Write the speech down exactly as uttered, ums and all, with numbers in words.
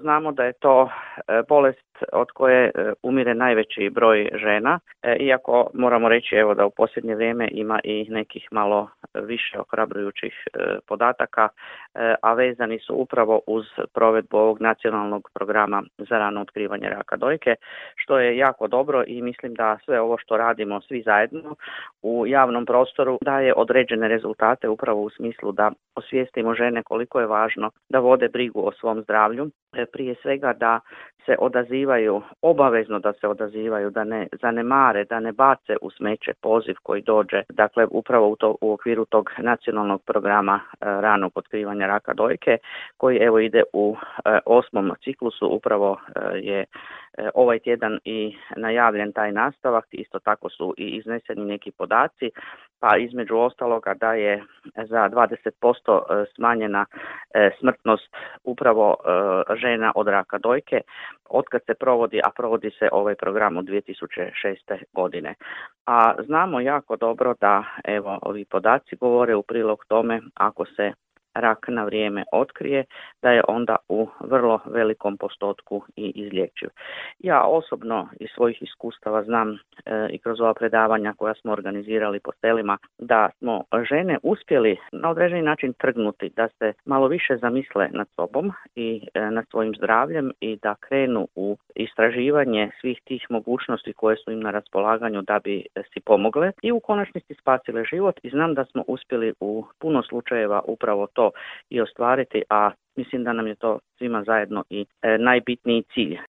znamo da je to bolest od koje umire najveći broj žena, iako moramo reći evo da u posljednje vrijeme ima i nekih malo više ohrabrujućih podataka, a vezani su upravo uz provedbu ovog nacionalnog programa za rano otkrivanje raka dojke, što je jako dobro i mislim da sve ovo što radimo svi zajedno u javnom prostoru daje određene rezultate upravo u smislu da osvijestimo žene koliko je važno da vode brigu o svom zdravlju, prije svega da se odazivaju, obavezno da se odazivaju, da ne zanemare, da ne bace u smeće poziv koji dođe, dakle upravo u, to, u okviru tog nacionalnog programa e, ranog otkrivanja raka dojke, koji evo ide u e, osmom ciklusu, upravo e, je e, ovaj tjedan i najavljen taj nastavak, isto tako su i izneseni neki podaci, pa između ostaloga da je za dvadeset posto smanjena e, smrtnost upravo e, žena od raka dojke otkad se provodi, a provodi se ovaj program od dvije tisuće šeste godine. A znamo jako dobro da evo ovi podaci govore u prilog tome ako se rak na vrijeme otkrije, da je onda u vrlo velikom postotku i izlječiv. Ja osobno iz svojih iskustava znam e, i kroz ova predavanja koja smo organizirali po selima, da smo žene uspjeli na određeni način trgnuti, da se malo više zamisle nad sobom i e, nad svojim zdravljem i da krenu u istraživanje svih tih mogućnosti koje su im na raspolaganju da bi si pomogle i u konačnici spasile život, i znam da smo uspjeli u puno slučajeva upravo to i ostvariti, a mislim da nam je to svima zajedno i e, najbitniji cilj.